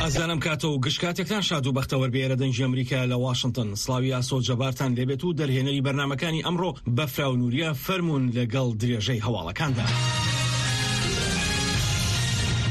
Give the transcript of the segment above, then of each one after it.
ئازیزان ئەم کاتە و گشت کاتێکتان شاد و بەختەوەر بێ. ئێرە دەنگی ئەمریکایە لە واشنتن. سڵاوی ئاسۆ جەبارتان لێبێت و دەرهێنەری بەرنامەکانی ئەمڕۆ بەفراو نوریە فەرموون لەگەڵ درێژەی هەواڵەکاندا.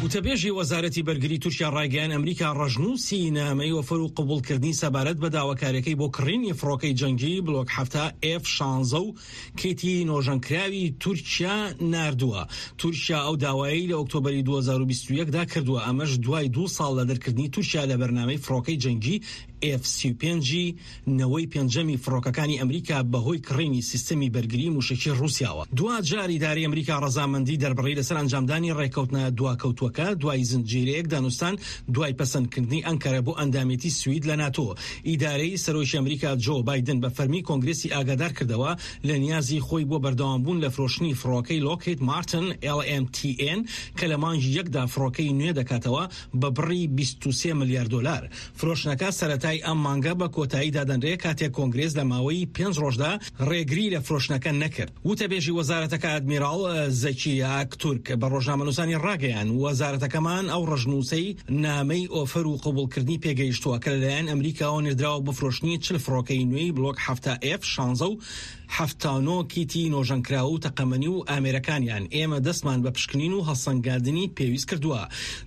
وتەبێژی وەزارەتی بەرگری تورکیا ڕایگەیان ئەمریکا ڕەشنووسی نامەی ئۆفەر و قبوڵکردنی سەبارەت بە داواکاریەکەی بۆ کڕینی فڕۆکەی جەنگی بلۆک 70 ئێف 16 و کیتی نۆژەنکراوی تورکیا ناردووە. تورکیا ئەو داوایەی لە ئۆکتۆبەری 2021 دا کردووە، ئەمەش دوای دوو ساڵ لە دەرکردنی تورکیا لە بەرنامەی فڕۆکەی جەنگی ئێف 35 ی نەوەی پێنجەمی فڕۆکەکانی ئەمریکا بەهۆی کڕینی سیستەمی بەرگری موشەکی ڕووسیاوە. دواجار ئیدارەی ئەمریکا ڕەزامەندی دەربڕی لەسەر ئەنجامدانی ڕێککەوتنە دواکەوتووەکە دوای زنجیرەیەک دانوستان دوای پەسەندکردنی ئەنکەرە بۆ ئەندامێتی سوید لە ناتۆ. ئیدارەی سەرۆکی ئەمریکا جۆ بایدن بە فەرمی کۆنگرێسی ئاگادار کردەوە لە نیازی خۆی بۆ بەردەوامبوون لە فرۆشتنی فڕۆکەی لۆکهید مارتن LMTN کە لە مانگی یەکدا فڕۆکەی نوێ دەکاتەوە بە بڕی 23 ملیار دۆلار. فرۆشتنەکە سەرەتای ئەم مانگە بە کۆتایی دادەنرێ کاتێک کۆنگرێس لە ماوەی پێنج ڕۆژدا ڕێگری لە فرۆشتنەکە نەکرد. وتەبێژی وەزارەتەکە ئەدمیراڵ زەکی ئاکتورک بە ڕۆژنامەنووسانی ڕاگەیاند، وەزارەتەکەمان ئەو ڕەشنووسەی نامەی ئۆفەر و قبوڵکردنی پێگەیشتووە کە لەلایەن ئەمریکاوە نێردراوە بۆ فرۆشتنی 40 فڕۆکەی نوێی بلۆک 70 ئێف 16 و 79 کیتی نۆژەنکراو و تەقەمەنی و ئامێرەکانیان، ئێمە دەستمان بە پشکنین و هەڵسەنگاندنی پێویست کردووە.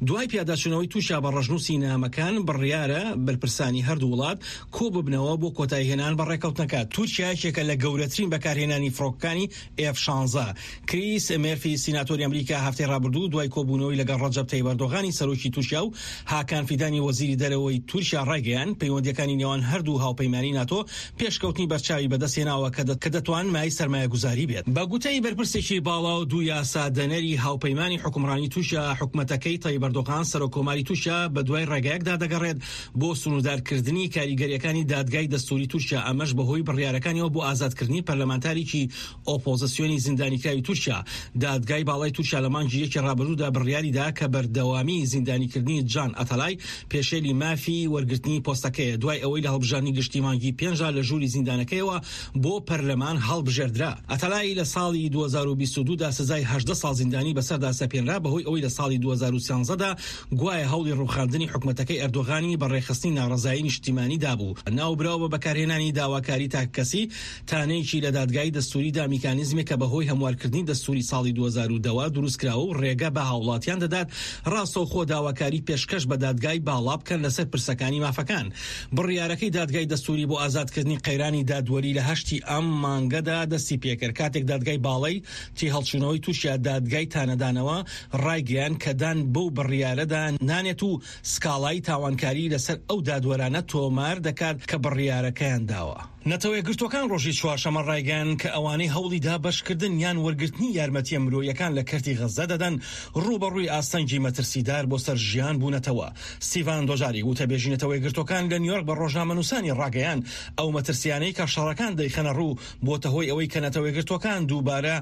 دوای پیاداچوونەوەی تورکیا بە ڕەشنووسی نامەکان، بڕیارە بەرپرسانی هەردوو وڵات کۆببنەوە بۆ کۆتاییهێنان بە ڕێککەوتنەکە. تورکیا یەکێکە لە گەورەترین بەکارهێنانی فڕۆکەکانی ئێف 16. کریس مێرفی سیناتۆری ئەمریکا هەفتەی ڕابردوو دوای کۆبوونەوەی لەگەڵ ڕەجەب تەیب ئەردۆغانی سەرۆکی تورکیا و هاکان فیدانی وەزیری دەرەوەی تورکیا ڕایگەیاند پەیوەندییەکانی نێوان هەردوو هاوپەیمانی ناتۆ پێشکەوتنی بەرچاوی بەدەستهێناوە کە دەتوان مایەی سەرمایەگوزاری بێت. بە گوتەی بەرپرسێکی باڵا و دوو یاسادەنەری هاوپەیمانی حوکمڕانی تورکیا، حکومەتەکەی تەیب ئەردۆغان سەرۆککۆماری تورکیا بەدوای ڕێگایەکدا دەگەڕێت بۆ سنووردارکردنی کاریگەرییەکانی دادگای دەستووری تورکیا، ئەمەش بەهۆی بڕیارەکانیەوە بۆ ئازادکردنی پەرلەمانتارێکی ئۆپۆزسیۆنی زیندانیکراوی تورکیا. دادگای باڵای تورکیا لە مانگی یەکی ڕابردوودا بڕیاریدا کە بەردەوامی زیندانیکردنی جان ئەتەلای پێشێلی مافی وەرگرتنی پۆستەکەیە دوای ئەوەی لە هەڵبژاردنی گشتی مانگی پێنجدا لە ژووری زیندانەکەیەوە بۆ پەرلەمان هەڵبژێردرا. ئەتەلای لە ساڵی 2022 دا سزای 18 ساڵ زیندانی بەسەردا سەپێنرا بەهۆی ئەوەی لە ساڵی 2013 دا گوایە هەوڵی ڕووخاندنی حکومەتەکەی ئەردۆغانی بە ڕێکخستنی ناڕەزایی نیشتیمانی دابوو. ناوبراو بە بەکارهێنانی داواکاری تاکەکەسی تانەیەکی لە دادگای دەستووری دا میکانیزمێک کە بەهۆی هەموارکردنی دەستووری ساڵی 2010 ەوە دروستکراوە و ڕێگە بە هاوڵاتیان دەدات ڕاستەوخۆ داواکاری پێشکەش بە دادگای باڵا بکەن لەسەر پرسەکانی مافەکان. بڕیارەکەی دادگای دەستووری بۆ ئازادکردنی قەیرانی دادوەری لە هەشتی ئەم مانگەدا دەستی پێکرد کاتێک دادگای باڵای تێهەڵچوونەوەی تورکیا دادگای تانەدانەوە ڕایگەیاند کە دان بەو بڕیارەدا نانێت و سکاڵای تاوانکاری لەسەر ئەو دادوەرانە تۆمار دەکات کە بڕیارەکەیان داوە. نەتەوەیەکگرتووەکان ڕۆژی چوارشەممە ڕایگەیاند کە ئەوانەی هەوڵی دابەشکردن یان وەرگرتنی یارمەتییە مرۆییەکان لە کەرتی غەززە دەدەن، ڕووبەڕووی ئاستەنگی مەترسیدار بۆ سەر ژیان بوونەتەوە. ستیڤان دۆجاریک، وتەبێژی نەتەوەیەکگرتووەکان لە نیویۆرک بە ڕۆژنامەنووسانی ڕاگەیاند، ئەو مەترسییانەی کە شەڕەکان دەیخەنە ڕوو، بۆتە هۆی ئەوەی کە نەتەوەیەکگرتووەکان دووبارە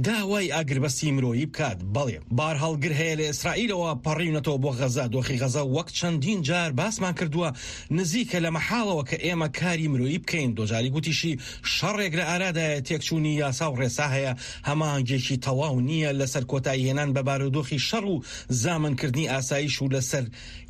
داوای ئاگربەستی مرۆیی بکات. بەڵێ بارهەڵگر هەیە لە ئیسرائیلەوە پەڕیونەتەوە بۆ غەزە، دۆخی غەزە وەک چەندین جار باسمان کردووە نزیکە لە مەحاڵەوە کە ئێمە کاری مرۆیی بکەین. دۆجاریک گوتیشی شەڕێک لە ئارادایە، تێکچوونی یاسا و ڕێسا هەیە، هەماهەنگییەکی تەواو نییە لەسەر کۆتاییهێنان بە بارودۆخی شەڕ و زامنکردنی ئاسایش و لەسەر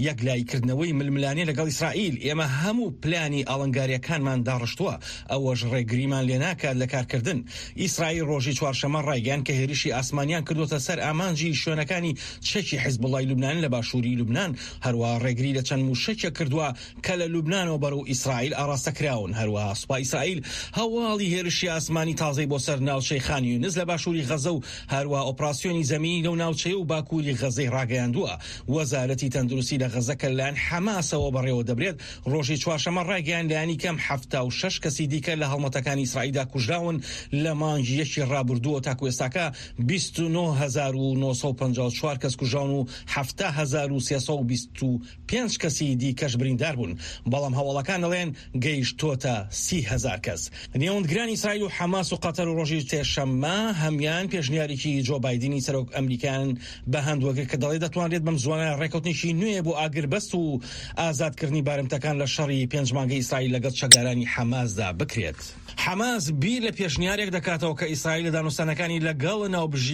یەکلاییکردنەوەی ململانێ لەگەڵ ئیسرائیل، ئێمە هەموو پلانی ئاڵنگارییەکانمان داڕشتووە، ئەوەش ڕێگریمان لێناکات لە کارکردن. ئیسرائیل ڕۆژی چوارشەممە ڕایگەیاند کە هێرشی ئاسمانیان کردووەتە سەر ئامانجی شوێنەکانی چەکی حیزبوڵڵای لوبنان لە باشووری لوبنان، هەروەها ڕێگری لە چەند مووشەکێک کردووە کە لە لوبنانەوە بەرەو ئیسرائیل ئاڕاستە کراون. هەروەها سوپای ئیسرائیل هەواڵی هێرشی ئاسمانی تازەی بۆ سەر ناوچەی خان یونس لە باشووری غەزە و هەروەها ئۆپراسیۆنی زەمینی لەو ناوچەیە و باکووری غەزەی ڕاگەیاندووە. وەزارەتی تەندروستی لە غەزە کە لەلایەن حەماسەوە بەڕێوەدەبرێت، ڕۆژی چوارشەممە ڕایگەیاند لایەنی کەم 76 کەسی دیکە لە هەڵمەتەکانی ئیسرائیلدا کوژراون لە مانگی یەکی ڕابردووە تاکو ئێستاکە 29954 کەس کوژراون و 70325 کەسی دیکەش بریندار بوون، بەڵام هەواڵەکان دەڵێن گەیشتۆتە 30,000 کەس. نێوەندگرانی ئیسرائیل و حەماس و قەتەر و ڕۆژی سێشەممە هەمیان پێشنیارێکی جۆ بایدنی سەرۆک ئەمریکایان بە هەند وەرگرت کە دەڵێت دەتوانرێت بەم زووانە ڕێککەوتنێکی نوێ بۆ ئاگربەست و ئازادکردنی بارمتەکان لە شەڕی پێنج مانگەی ئیسرائیل لەگەڵ چەکدارانی حەماسدا بکرێت. حەماس بیر لە پێشنیارێک دەکاتەوە کە ئیسرائیل لە دانوستانەکانی لەگەڵ ناوبژی.